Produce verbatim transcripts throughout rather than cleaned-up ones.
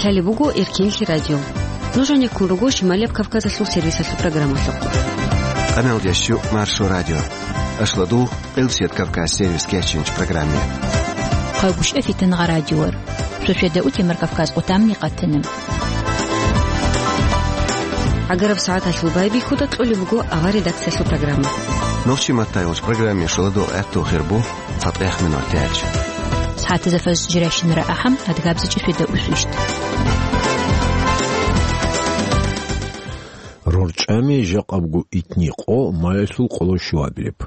Лъалеб буго Эркенлъи радио. Нуж гьанеккун руго Шималияб Кавказалъул сервисалъул программалъухъ. Къаналдящу Маршо радио. Ашладул Къилсият Кавказ сервис кечинч программе. Хъайбушев Фитангъа радиор. Суседа утемар Кавказ къутамни къатана. Агараб сагӀаталъул байбихьуда кьолеб буго авар редакциялъул программа. Нохчи маттайолч программе шуладул гӀатту хирбу. Фатех минор тяч. СагӀатазда фаз жиращинара ахӀам, адгабзичӀи фида усвищт. РорчӀами жакъабгу итни къо маялъул къоло щуабилеб.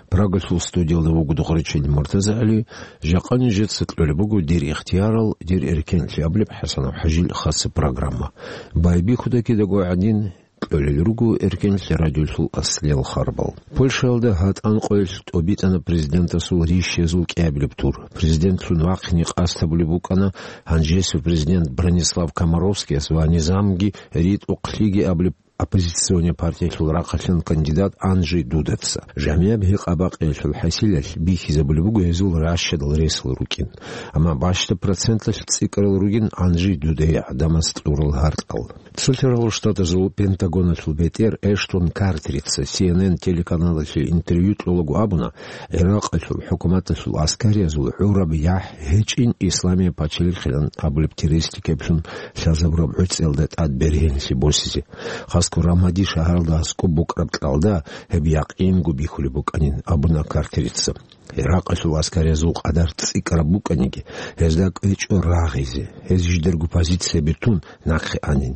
Прагалъул студиялда вуго Духъричил МуртазагӀали, жакъа нижеца кьолеб буго дир ихтиярал, дир эркенлъи абулеб ХӀасанов ХӀажил хаса программа. Байбихьуда кидаго гӀадин, кьолел руго Эркенлъи радиолъул аслиял харбал. Польшаялда гьатӀан къоялъ тӀобитӀана президентасул рищезул кӀиабилеб тур. Президентлъун вахъине къасд гьабулеб букӀана гьанжесев президент Бронислав Комаровскияс ва низамги ритӀухълъиги абулеб оппозиционный партиялъул рахъалъан кандидат Анджей Дудаца. ЖамигӀаб гьекъабакъиялъул хӀасилалъ бихьизабулеб буго гьезул ращадал ресал рукӀин. Амма бащдаб процентлъ цӀикӀкӀарал ругин Анджей Дудае гӀадамаз кьурал гьаркьал. Цолъарал Штатазул Пентагоналъул бетӀер Эштон Картерица Си Эн Эн телеканалалъе интервью кьолаго абуна, Иракъалъул хӀукуматалъул аскариязул гӀураб яхӀ гьечӀин Исламияб пачалихъилан абулеб террористикаблъун лъазабураб гӀуцӀиялда тӀад бергьенлъи босизе. Хасго Рамади шагьаралда аскӀоб букӀараб кьалда гьеб якъинго бихьулеб букӀанин, абуна Картерица. Иракъалъул аскариязул къадар цӀикӀкӀараб букӀаниги, гьезда кӀвечӀо рагъизе, гьез жидерго позицияби тун нахъе анин.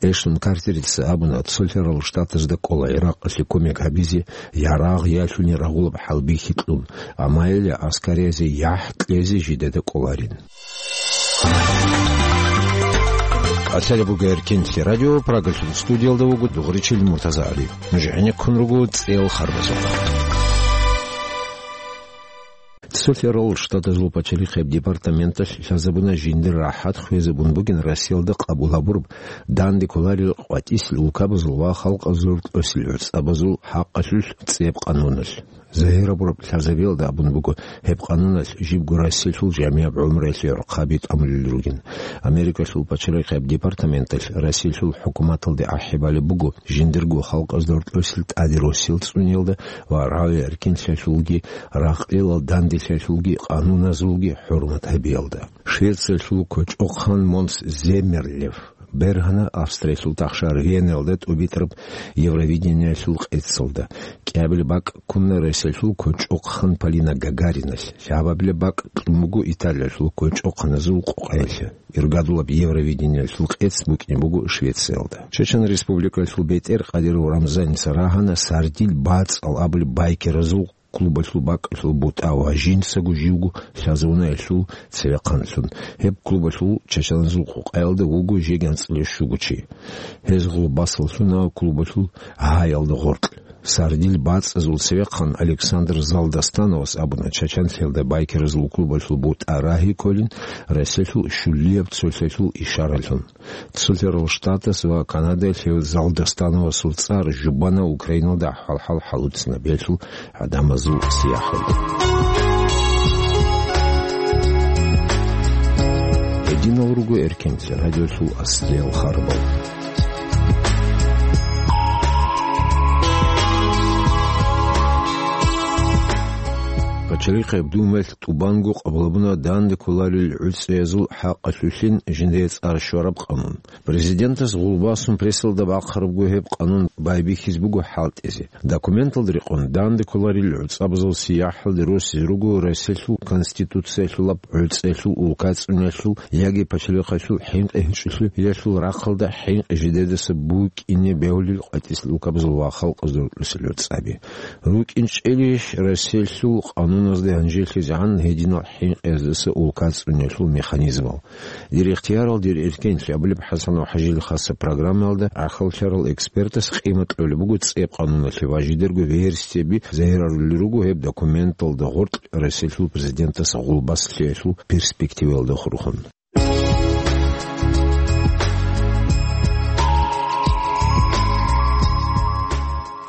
Эштон Картерица абуна, Цолъарал Штатазда кӀола Иракъалъе кумек гьабизе, я рагъ, я лъугьин рагъулаб хӀалбихьи кьун, амма гьеле аскариязе яхӀ кьезе жидеда кӀоларин. Лъалеб буго Эркенлъи радио, Прагалъул студиялда вуго Дугъричил МуртазагӀали. Нуж гӀенеккун руго цӀел харбазухъ. Цолъарал Штатазул пачалихъияб департаменталъ лъазабуна жиндир рахӀат хвезабун бугин Россиялда къабул гьабураб данде кколарел къватӀисел улкабазул ва халкъазул рокьосел гӀуцӀабазул хӀакъалъулъ цӀеб къануналъ. Загьир гьабураб лъазабиялда абун буго, гьеб къануналъ жибго Россиялъул жамигӀаб гӀумруялъе гӀорхъаби тӀамулел ругин. Америкалъул пачалихъияб департаменталъ Россиялъул хӀукуматалде ахӀи балеб буго жиндирго халкъазда рокьосел тӀаде росел цӀуниялда ва рагӀи-эркенлъиялъулги, рагъ-кьелал данделъиялъулги къануназулги хӀурмат гьабиялда. Швециялъул кочӀохъан Монс Земмерлев бергьана Австриялъул тахшар Веналда тӀубитӀараб Евровидениялъул къецалда. КӀиабилеб бакӀ ккуна Россиялъул кочӀохъан Полина Гагариналъ, лъабабилеб бакӀ кьун буго Италиялъул кочӀохъаназул къокъаялъе. Иргадулаб Евровидениялъул къец букӀине буго Швециялда. Чечен Республикалъул бетӀер Кадыров Рамзаница рагьана «Сардил бацӀал» абулеб байкеразул клубалъул бакӀалъул бутӀа ва жинцаго живго лъазавунаялъул цевехъанлъун. Гьеб клубалъул чачаназул къокъаялда вуго жеги анцӀила щуго чи. Гьез гъулбасаллъуна клубалъул гьаялда гъоркь. Сардил бацӀазул цевехъан Александр Залдостановас абуна, чачанлъиялда байкеразул клубалъул бутӀа рагьи кколин Россиялъул щулияб цолъалъул ишаралъун. Цолъарал Штатас ва Канадаялъ гьев Залдостановасул цӀар жубана Украиналда хӀалхӀал хӀалуцинабиялъул гӀадамазул сияхӀалде. Гьединал руго Эркенлъи радиолъул аслиял харбал. Пачалихъияб Думаялъ тӀубанго къабулабуна данде кколарел гӀуцӀиязул хӀакъалъулъин жиндие цӀар щвараб къанун. Президентас гъулбасун прессалда бахъарабго гьеб къанун байбихьиз буго хӀалтӀизе. Документалда рекъон данде кколарел гӀуцӀабазул сияхӀалде росизе руго Россиялъул Конституциялъулаб гӀуцӀиялъул, улка цӀуниялъул яги пачалихъалъул хӀинкъи гьечӀолъиялъул рахъалда хӀинкъи жидедаса букӀине бегьулел къватӀисел улкабазул ва халкъазул рокьосел гӀуцӀаби. РукӀинчӀелищ Россиялъул къануназда гьанжелъизегӀан гьединал хӀинкъиязаса улка цӀуниялъул механизмал? Дир ихтиярал, дир эркенлъи абулеб ХӀасанов ХӀажил хаса программаялда гӀахьаллъарал экспертас къимат кьолеб буго цӀеб къануналъе ва жидерго версияби загьирарулел руго гьеб документалда гъоркь Россиялъул президентас гъулбас лъиялъул перспективаялда хурхун.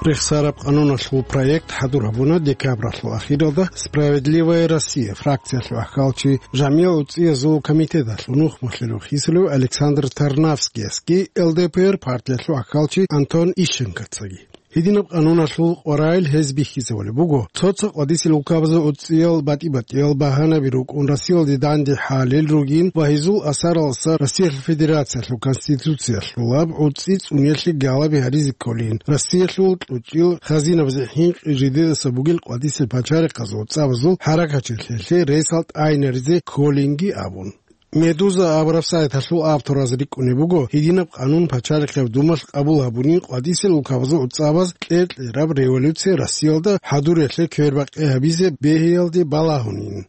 Рехсараб къануналъул проект хӀадур гьабуна декабралъул ахиралда «Справедливая Россия» фракциялъул ахкалчи, жамигӀ уцӀцӀиязул комитеталъул нухмалъулев хисулев Александр Тарнавскиясги, Л Д П Р партиялъул ахкалчи Антон Ищенкоцаги. Гьединаб къануналъул къваригӀел гьез бихьизавулеб буго цо-цо къвадисел улкабазул уцӀцӀиял батӀи-батӀиял багьанаби рукӀун Россиялде данде хӀалел ругин ва гьезул асаралдаса Россиялъул Федерациялъул Конституциялъулаб гӀуцӀи цӀуниялъе галаби гьаризе кколин, Россиялъул кьучӀил хазинабазе хӀинкъи жидедаса бугел къвадисел пачарихъазул цӀабазул хӀаракатчилъиялъе ресал тӀагӀинаризе кколинги абун. Медуза абураб сайталъул автораз рикӀкӀунеб буго, гьединаб къанун Пачалихъеб Думалъ къабул гьабунин къвадисел улкабазул цӀабаз кьер-кьераб революция Россиялда хӀадуриялъе квербакъи гьабизе бегьиялде балагьунин.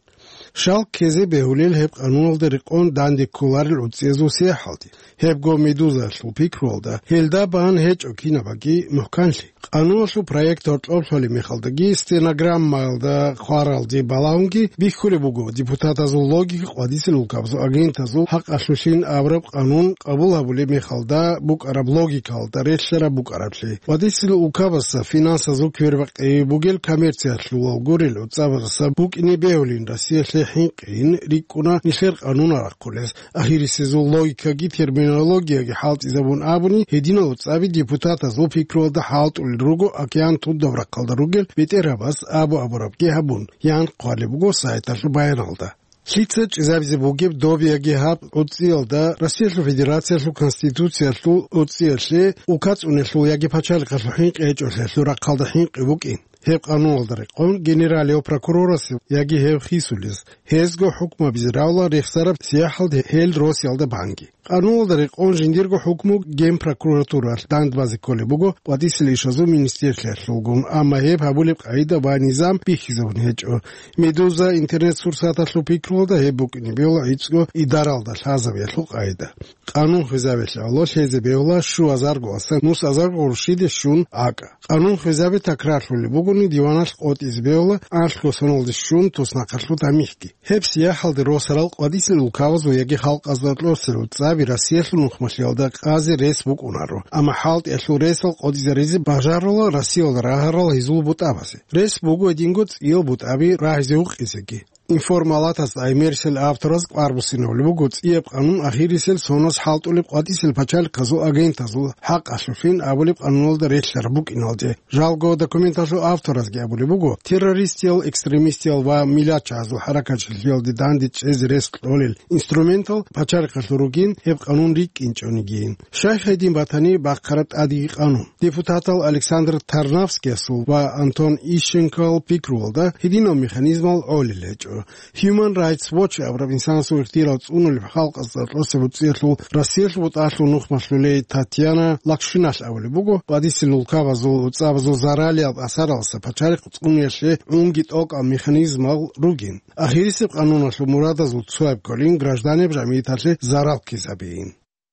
Щал ккезе бегьулел гьеб къануналда рекъон данде кколарел уцӀцӀиязул сияхӀалде. Гьебго Медузаялъул пикруялда, гьелда бан гьечӀо кинабаги мухӀканлъи. Къануналъул проект гьоркьоб лъолеб мехалдаги стенограммаялда хъваралде балагьунги бихьулеб буго депутатазул логика къвадисел улкабазул агентазул хӀакъалъулъин абураб къанун къабул гьабулеб мехалда букӀараб логикалда релълъараб букӀараблъи. Къвадисел улкабазда финансазул квербакъи бугел коммерциялъулал гурел уцӀцӀабаздаса букӀине бегьулин Россиялъе хӀинкъин рикӀкӀуна нилъер къанунал рахъулес. Ахирисезул логикаги терминологияги хӀалтӀизабун абуни, гьединал уцӀцӀаби депутатазул пикруялда хӀалтӀулел руго океан тудаб рахъалда ругел бетӀергьабаз абу-абурабги гьабун, ян хъвалеб буго сайталъул баяналда. Лъица чӀезабизе бугеб добиги гьаб гӀуцӀцӀиялда Россиялъул Федерациялъул Конституциялъул уцӀцӀиялъе улка цӀуниялъул яги пачалихъалъул хӀинкъи гьечӀолъиялъул рахъалда хӀинкъи букӀин. Гьеб къануналда рекъон генералияв прокурорасев яги гьев хисулез, гьезго хӀукму гьабизе равла рехсараб сияхӀалде гьел росиялда банги. Къануналда рекъон жиндирго хӀукму генпрокуратуралъ дандбазе кколеб буго къвадисел ишазул министрлъиялъулгун, амма гьеб гьабулеб къагӀида ва низам бихьизабун гьечӀо. Медуза интернет-сурсаталъул пикруялда гьеб букӀине бегьула гӀицӀго идаралда лъазабиялъул къагӀида. Къанун хвезабиялъе авло лъезе бегьула щуазарго аса нусазарго гъурущиде щун акӀа. Къанун хвезаби такрарлъулеб бугони, диваналъ къотӀизе бегьула анлъго соналде щун туснахъалъул тамихӀги. Гьеб сияхӀалде росарал къвадисел улкабазул яги халкъазда кьосел уцӀцӀаби Россиялъул нухмалъиялда къазе рес букӀунаро, амма хӀалтӀиялъул ресал къотӀизаризе бажарула Россиялда рагьарал гьезул бутӀабазе. Рес буго гьединго цӀиял бутӀаби рагьизе гьукъизеги. Информалатас гӀемерисел автораз кӀвар буссинабулеб буго цӀияб къанун ахирисел соназ хӀалтӀулеб къватӀисел пачалихъазул агентазул хӀакъалъулъин абулеб къануналда релълъараб букӀиналде. Жалго документалъул авторазги абулеб буго, террористиял, экстремистиял ва миллатчагӀазул хӀаракатчилъиялде данде чӀезе рес кьолел инструментал пачалихъалъул ругин гьеб къанун рикӀкӀинчӀонигийин. Щай гьедин батани бахъараб тӀадеги къанун. Депутатал Александр Тарнавскиясул ва Антон Ищенкоял пикруялда гьединал механизмал гӀолел гьечӀо. Human Rights Watch абураб инсанасул ихтияр цӀунулеб халкъазда кьосеб уцӀцӀиялъул Россиялъул бутӀалъул нухмалъулей Татьяна Лакшиналъ абулеб буго, къватӀисел улкабазул уцӀцӀабазул заралияб асаралдаса пачалихъ цӀуниялъе унги тӀокӀаб механизмал ругин. Ахирисеб къануналъул мурадазул цояб кколин гражданеб жамигӀаталъе зарал ккезабиин.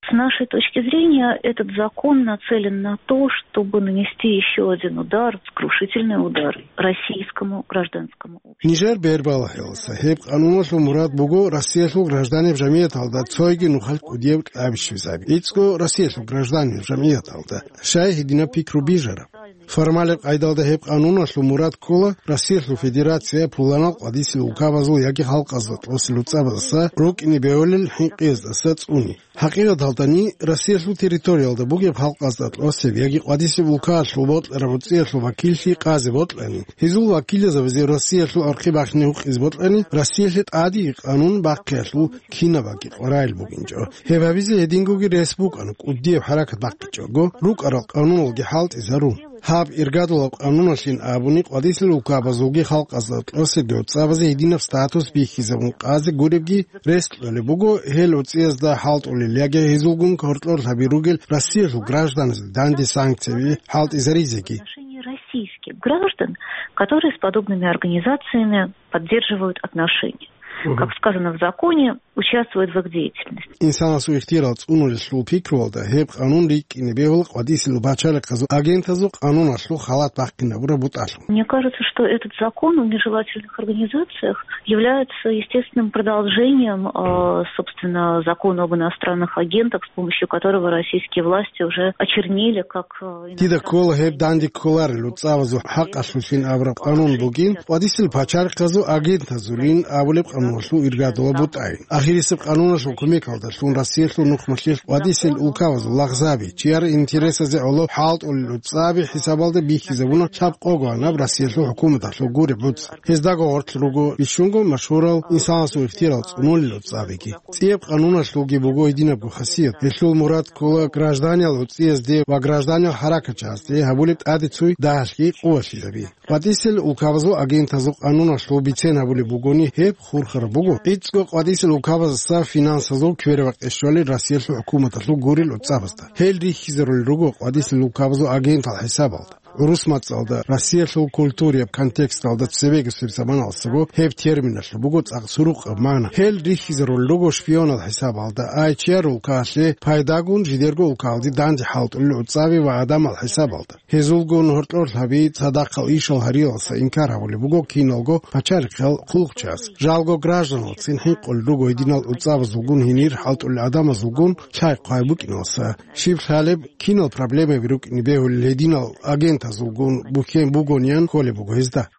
С нашей точки зрения, этот закон нацелен на то, чтобы нанести ещё один удар, сокрушительный удар российскому гражданскому обществу. Нижер бербалахӀелса гьеб къануналъул мурад буго Россиялъул гражданеб жамигӀаталда цойги нухалъ кӀудияб кьаби щвезаби. ГӀицӀго Россиялъул гражданеб жамигӀаталда щай гьединаб пикру бижараб? Формалеб къайдалда гьеб къануналъул мурад ккола Россиялъул Федерация пуланал къватӀисел улкабазул яги халкъазда кьосел уцӀцӀабаздаса рукӀине бегьулел хӀинкъиялдаса цӀуни. ХӀакъикъаталдани, Россиялъул территориялда бугеб халкъазда кьосеб яги къватӀисеб улкаялъул бокьараб уцӀцӀиялъул вакиллъи къазе бокьани, гьезул вакилзабазе Россиялъул архъи бахине гьукъизе бокьани, Россиялъе тӀадеги къанун бахъиялъул кинабаги къваригӀел бугинчӀо. Гьеб гьабизе гьедингоги рес букӀана, кӀудияб хӀаракат бахъичӀого, рукӀарал къануналги хӀалтӀизарун. Гьаб иргадулаб къануналъин абуни, къватӀисел улкабазулги халкъазда кьосебги уцӀцӀабазе гьединаб статус бихьизабун къазе гуребги рес кьолеб буго гьел уцӀцӀиязда хӀалтӀулел яги гьезулгун гьоркьор лъаби ругел Россиялъул гражданазда данде санкцияби хӀалтӀизаризеги. Отношение российских граждан, которые с подобными организациями поддерживают отношения. Мгм. Как сказано в законе, участвуют в их деятельности. Инсанасул ихтияр цӀунулелъул пикруялда гьеб къанун рикӀкӀине бегьула къватӀисел пачалихъазул агентазул къануналъул халат бахъинабураб бутӀалъун. Мне кажется, что этот закон о нежелательных организациях является естественным продолжением, э, собственно, закона об иностранных агентах, с помощью которого российские власти уже очернили как, э, Дида ккола гьеб данде кколарел луцӀабазул хӀакъалъулъин абураб къанун бугин, къватӀисел пачалихъазул агентазулин абулеб къануналъул иргадула бутӀайин. Ахирисеб къануналъул кумекалдалъун Россиялъул нухмалъилъ къватӀисел улкабазул лагъзаби, чияр интересазе гӀоло хӀалтӀулел луцӀаби хӀисабалда бихьизабуна лъабкъого гьанаб Россиялъул хӀукуматалъул гуреб буц. Гьездаго гъорлъ руго бищунго машгьурал инсанасул ихтияр цӀунулел луцӀабиги. ЦӀияб къануналъулги буго гьединабго хасият. Гьелъул мурад ккола гражданиял гӀуцӀиязде ва гражданиял хӀаракатчагьазде гьабулеб тӀаде цуй дагьалъги къувалъизаби. КъватӀисел улкабазул агентазул къануналъул бицен гьабулеб бугони, гьеб хурхараб буго. ГӀицӀго къватӀисел улкабазаса финансазул квербакъи щолел Россиялъул хӀукуматалъул гурел луцӀабазда. Гьел рихьизарулел руго къватӀисел улкабазул агентал хӀисабалда. ГӀурус мацӀалда, Россиялъул культураяб контексталда цебегасеб заманалдасаго гьеб терминалъул буго цӀакъ сурукъаб магӀна. Гьел рихьизарулел руго шпионал хӀисабалда, ай чияр улкаялъе пайдагун жидерго улкаялде данде хӀалтӀулел гӀуцӀаби ва гӀадамал хӀисабалда. Гьезулгун гьоркьор лъаби цадахъал ишал гьариялдаса инкар гьабулеб буго киналго пачалихъал хъулухъчияс. Жалго гражданилцин хӀинкъулел руго гьединал гӀуцӀабазулгун гьенир хӀалтӀулел гӀадамазулгун лъай-хъвай букӀиналдаса. Щиб лъалеб, кинал проблемаби рукӀине бегьулел гьединал агентазулгун бухьен бугониан кколеб буго гьезда.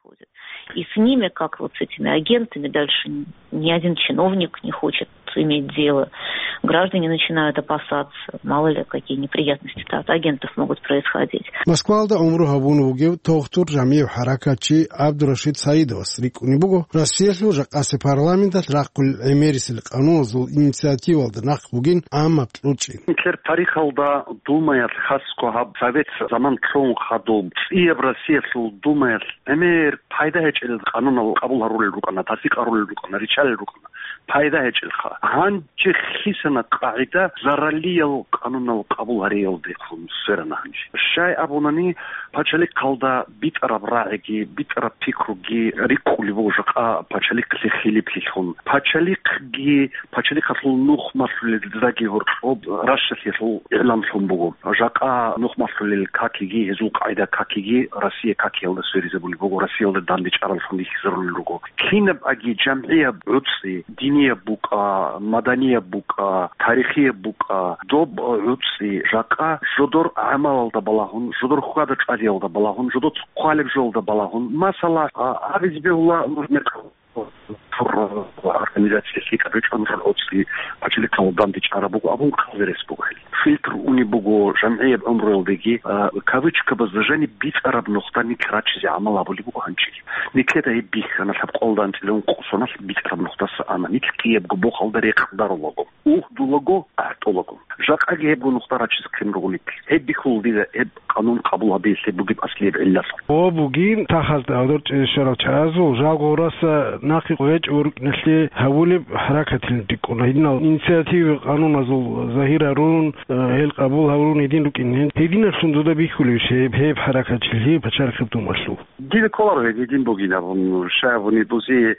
И с ними, как вот с этими агентами, дальше ни один чиновник не хочет иметь дело. Граждане начинают опасаться, мало ли какие неприятности от агентов могут происходить. Москвалда гӀумру гьабун вугев тогтур жамигӀ хӀаракатчи ГӀабдурашид Саидовас рикӀкӀунеб буго, Россиялъул жакъасеб парламенталъ рахъулел гӀемерисел къануналъул инициативалда нахъ бугин гӀаммаб кьучӀин. Нилъер тарихалда Думаялъ хасго гьаб Совет заман лъун хадуб, цӀияб Россиялъул Думаялъ гӀемер пайда гьечӀел къанунал къабул гьарулел рукӀана, тасдикъ гьарулел рукӀана, риччалел рукӀана, пайда гьечӀелха. Гьанже хисана къагӀида зараллиял къанунал къабул гьариялдехун сверана гьанже. Щай абунани, пачалихъалда битӀараб рагӀиги, битӀараб пикруги рикӀкӀулеб буго жакъа пачалихълъи хилиплъилъун. Пачалихъги, пачалихъалъул нухмалъулел заги гьоркьоб Рашшалъиялъул игӀланлъун буго. Жакъа нухмалъулел какиги, гьезул къагӀида какиги Россия какиялда сверизабулеб буго, Россиялда дандечӀараллъун рихьизарулел руго. Кинаб аги жамгӀияб гӀуцӀи, динияб букӀа, маданияб букӀа, тарихияб букӀа, доб гӀуцӀи жакъа жодор гӀамалалда балагьун, жодор хьвада-чӀвадиялда балагьун, жодоца хъвалеб жоялда балагьун. Масала, а, абизе бегьула нуж мекъ-, организация лъикӀаб гьечӀо, нужер гӀуцӀи пачалихъалда дандечӀараб буго абун хъазарес буго гьел. Фильтр унеб буго жамгӀияб гӀумруялдеги, а, кавычкабазда жаниб бицӀараб нухда нилъ рачизе гӀамал гьабулеб буго гьанжеги. Нилъеда гьеб бихьана лъабкъоялда анцӀила ункъо соналъ бицӀараб нухдаса ана. Нилъ кӀиябго бохалда рекъдарулаго, угьдулаго, ахӀтӀулаго. Жакъаги гьебго нухда рачизе ккун руго нилъ. Гьеб бихьула дида гьеб къанун къабул гьабиялъе бугеб аслияб гӀиллалъул. О, бугин, тахазда гьадур чӀезешарал чагӀазул, жалго гъураса нахъе къвечӀо рукӀиналъе гьабулеб хӀаракатилан рикӀкӀуна. Гьединал инициатива къануназул загьир гьарун, э, гьел къабул гьарун гьедин рукӀин. Гьединаблъун дуда бихьулебищ гьеб, гьеб хӀаракатчилъи пачалихъеб Думалъул? Дида кколаро гьедин бугин абун, щай абуни бузи,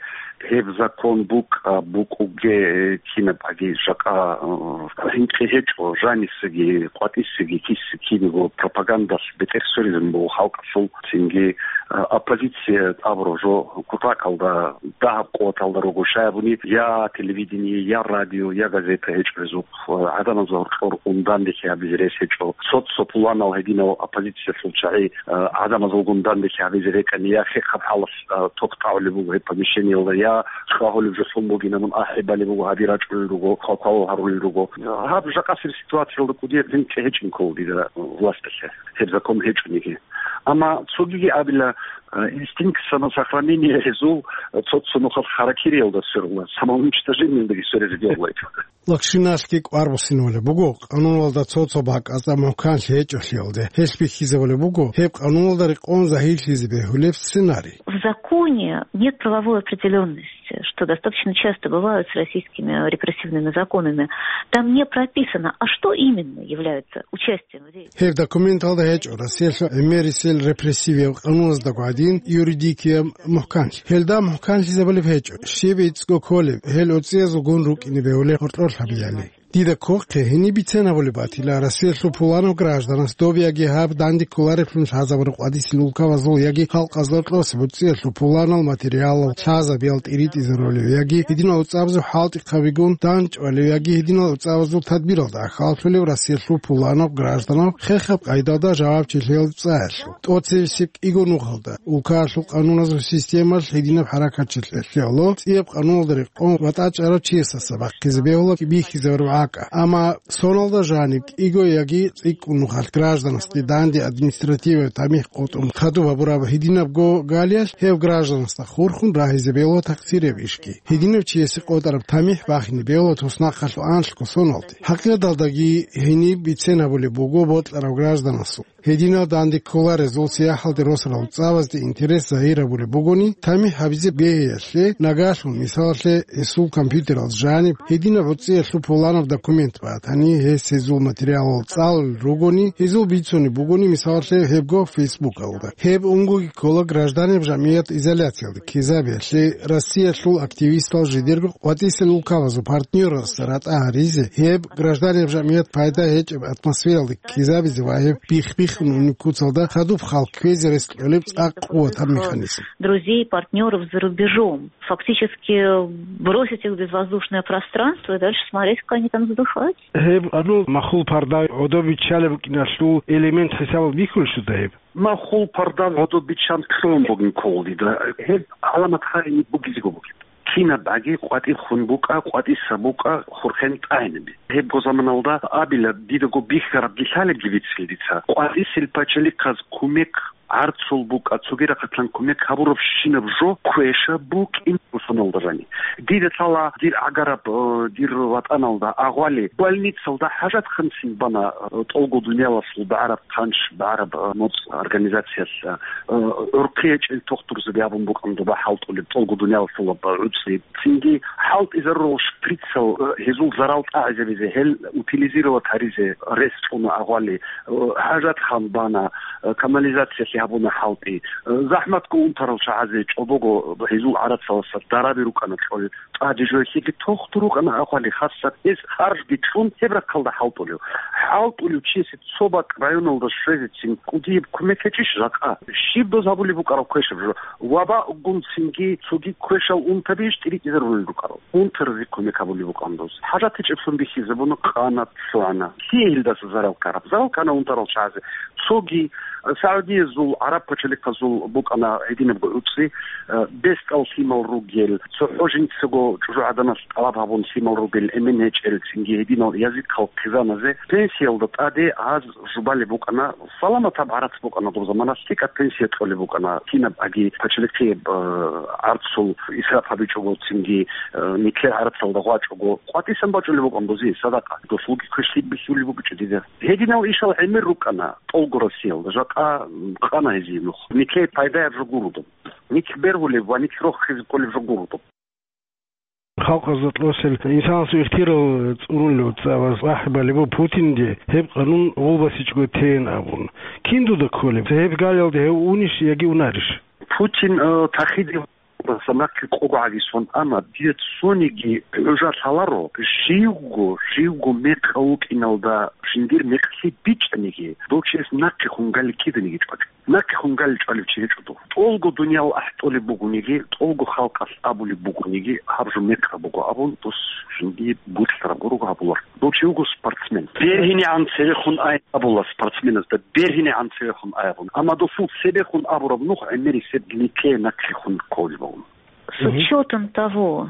гьеб закон букӀа, букӀуге, кинаб аги жакъа, э, гьинкъи гьечӀо, жанисаги, къватӀисаги, киса кинего пропагандалъ бетӀер сверизабун буго халкъалъул, цинги, э, оппозиция абураб жо кутакалда, дагьаб къуваталда руго, щай абуни, я телевидение, я радио, я газета гьечӀо гьезухъ, э, гӀадамазда гьоркьор ун данделъи гьабизе рес гьечӀо. Цо-цо пуланал гьединал оппозициялъул чагӀи, э, гӀадамазулгун данделъи гьабизе рекӀани, я хехаб хӀалалъ, э, ток тӀагӀулеб буго гьеб помещениялда, я хьвагьулеб жо лъун бугин абун ахӀи балеб буго, гьаби рачӀунел руго, хвалхвалал гьарулел руго. Гьаб жакъасеб ситуациялда кӀудияб гьинкъи гьечӀин ккола дида власталъе, гьеб закон гьечӀониги. Амма цогиги абила, э, инстинкт самосохранения гьезул, э, цо-цо нухалъ харакириялда сверула, самоуничтожениялдаги сверизе бегьулайчӀо. Лакшиналъги кӀвар буссинабулеб буго, къануналда цо-цо бакӀазда мухӀканлъи гьечӀолъиялде. Гьелъ бихьизабулеб буго гьеб къануналда рекъон загьирлъизе бегьулеб сценарий. В законе нет правовой определённости. что достаточно часто бывают с российскими репрессивными законами, там не прописано, а что именно является участием в рейде. Гьеб документалда гьечӀо Россиялъул гӀемерисел репрессивияв къануназдаго гӀадин юридикияб мухӀканлъи. Гьелда мухӀканлъизабулеб гьечӀо, щиб гӀицӀго кколеб, гьел уцӀцӀиязулгун рукӀине бегьулеб гьоркьор лъабиялъе. Дида кколеб гьениб бицен гьабулеб батила, Россиялъул пуланав гражданас доб яги гьаб данде кколареблъун лъазабураб къватӀисел улкабазул яги халкъазда кьосеб уцӀцӀиялъул пуланал материалал лъазабиял тӀиритӀизарулев яги гьединал уцӀцӀабазул хӀалтӀихъабигун данчӀвалев яги гьединал уцӀцӀабазул тадбиралда ахӀаллъулев Россиялъул пуланав гражданав хехаб къайдалда жавабчилъиялда цӀаялъул. ТӀоцебесеб кӀиго нухалда, улкаялъул къануназул системалъ гьединаб хӀаракатчилъиялъул цӀияб къануналда рекъон ва тӀачӀарав чиясаса бахъизе бегьула бихьизарураб гӀакъа. Амма соналда жаниб кӀиго яги цӀикӀкӀун нухалъ гражданасде данде административаяб тамихӀ къотӀун хадуб гьабураб гьединабго галиялъ гьев гражданасда хурхун рагьизе бегьула такъсирияб ишги. Гьединав чиясе къотӀараб тамихӀ бахине бегьула туснахъалъул анлъго соналде. ХӀакъикъаталдаги гьениб бицен гьабулеб буго бокьарав гражданасул. Гьединал данде кколарезул сияхӀалде росарал цӀабазде интерес загьир гьабулеб бугони, тамихӀ гьабизе бегьиялъе, нагалъун, мисалалъе, гьесул компьютералда жаниб гьединаб гӀуцӀиялъул пуланаб документ батани, гьес гьезул материалал цӀалулел ругони, гьезул бицунеб бугони, мисалалъе, гьебго Фейсбукалда. Гьеб унгоги ккола гражданиял жамгӀият изоляциялде ккезабиялъе, Россиялъул активистал жидерго къватӀисел улкабазул партнёралдаса ратӀа гьаризе, гьеб гражданиял жамгӀият пайда гьечӀеб атмосфералде ккезабизе ва гьеб бих-биххун унеб куцалда хадуб хал кквезе рес кьолеб цӀакъ къуватаб механизм. Друзей, партнёров за рубежом. Фактически бросить их в безвоздушное пространство и дальше смотреть, как они там задыхаются. Гьеб гьанул махул парда гӀодобиччалеб букӀиналъул элемент хӀисабалде бихьулищ дуда гьеб? Махул парда гӀодобиччан кьун бугин ккола дида. Гьеб гӀаламат гьайни бугизего бугеб. Кинаб аги къватӀир хун букӀа, къватӀиса букӀа, хурхен тӀагӀинаби. Гьебго заманалда абила, дидаго бихьарабги лъалебги бицин дица. КъватӀисел пачалихъаз кумек гӀарцул букӀа, цоги рахъалъан кумек гьабуравщинаб жо квеша букӀин русаналда рани. Дида лъала дир гӀагараб, э, дир ватӀаналда агъвали, больницалда хӀажатханцин бана, э, тӀолго дуниялалъул багӀараб хъанч, багӀараб, э, моцӀ организациялъ, э, гӀурхъи гьечӀел тухтурзаби абун букӀан доба хӀалтӀулеб тӀолго дуниялалъул гӀуцӀи. Цинги хӀалтӀизарурал шприцал, э, гьезул зарал тӀагӀизабизе, гьел утилизировать гьаризе рес цӀуна агъвали, э, хӀажатхан бана, э, канализациялъе гьабуна хӀалтӀи. Э, захӀматго унтарал чагӀазе чӀобого гьезул гӀарацаласа дараби рукӀана кьол. ТӀаде жоялъеги тухтур рукӀана агъвали, хасат гьез харжги кьун гьеб рахъалда хӀалтӀулев. ХӀалтӀулев чиясе цо бакӀ районалда щвезецин кӀудияб кумек гьечӀищ жакъа? Щиб доз гьабулеб букӀараб квешаб жо? Ваба гун цинги цоги квешал унтаби иш тӀиритӀизарулел рукӀарал. Унтаразе кумек гьабулеб букӀан доз. ХӀажат гьечӀеблъун бихьизабуна, къана, лъугӀана. Лъие гьелдаса зарал ккараб? Зарал ккана унтарал чагӀазе. Цоги, э, Саудиязул, гӀараб пачалихъазул букӀана гьединабго гӀуцӀи, э, бесдал лъимал ругел, цохӀо жинцаго чӀужугӀаданалъ тӀалаб гьабун лъимал ругел, эмен гьечӀел, цинги гьединал язихъал хъизаназе пенсиялда тӀаде гьаз жубалеб букӀана, саламатаб гӀарац букӀана доб заманалъ, лъикӀаб пенсия кьолеб букӀана, кинаб аги пачалихъияб, э, гӀарцул исраф гьабичӀого, цинги, э, нилъер гӀарацалда гъвачӀого, къватӀисан бачӀулеб букӀан бузи, садакъа, досулги квешлъи бихьулеб букӀичӀо дида. Гьединал ишал гӀемер рукӀана тӀолго Россиялда, жакъа, м, къана гьезие нух. Нилъее пайдаяб жо гуро доб. Нилъ бергьулеб ва нилъ рохизе кколеб жо гуро доб. Халкъазда кьосел инсанасул ихтияр цӀунулев цӀабаз ахӀи балеб буго Путинде гьеб къанун гъулбасичӀого тейин абун. Кин дуда кколеб? Гьеб галиялде гьев унищ яги унарищ? Путин, э, тахиде Даса нахъе къого гӀагисон, амма дие цониги гӀужа лъаларо, живго, живго мекъав вукӀиналда жиндир мекълъи бичӀчӀаниги, дов чияс нахъе хун гали киданиги чӀвачӀо. Нахъе хун гали чӀвалев чи гьечӀо дов. ТӀолго дуниял ахӀтӀолеб бугониги, тӀолго халкъалъ абулеб бугониги, гьаб жо мекъаб буго абун, дос жиндие бокьараб гурого гьабулар. Дов чи вуго спортсмен. БергьинегӀан цевехун ай абула спортсменазда, бергьинегӀан цевехун ай абун. Амма досул цебехун абураб нух гӀемерисеб нилъее нахъехун кколеб бугун. С Мгм. учётом того,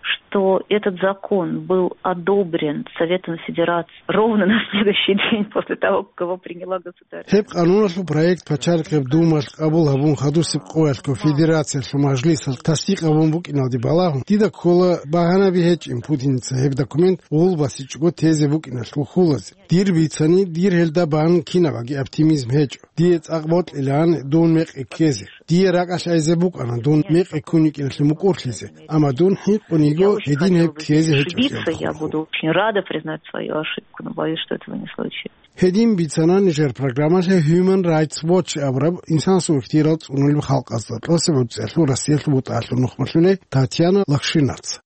что этот закон был одобрен Советом Федерации ровно на следующий день после того, как его приняла государственная Гьеб къануналъул проект пачалихъеб Думалъ къабул гьабун, хадусеб къоялъго Федерациялъул мажлисалъ тасдикъ гьабун букӀиналде балагьун, дида ккола багьанаби гьечӀин Путиница гьеб документ гъулбасичӀого тезе букӀиналъул хьулазе. Дир бицани, дир гьелда бан кинабаги оптимизм гьечӀо. Дие цӀакъ бокьилаан дун мекъи ккезе. Дие ракӀалъ айзе букӀана дун мекъи ккун йикӀиналъе мукӀурлъизе, амма дун хӀинкъун йиго гьедин гьеб ккезе гьечӀолъиялда хурхун. Я буду очень рада признать свою ошибку, но боюсь, что этого не случится. Гьедин бицана нижер программалъе Human Rights Watch абураб инсанасул ихтияр цӀунулеб халкъазда тӀоцебе гӀуцӀиялъул Россиялъул бутӀаялъул нухмалъулей Татьяна Лакшинаца.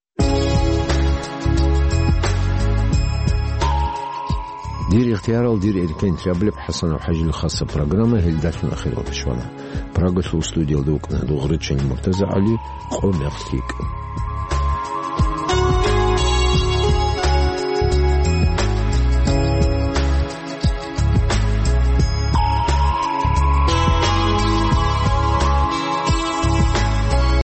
Дир ихтиярал, дир эркен, абулеб ХӀасанов ХӀажил хасаб программа гьелдалъун ахиралде щвана. Прагалъул студиялда вукӀана гьадув Гъречани МуртазагӀали, къо мехлъи йикӀа.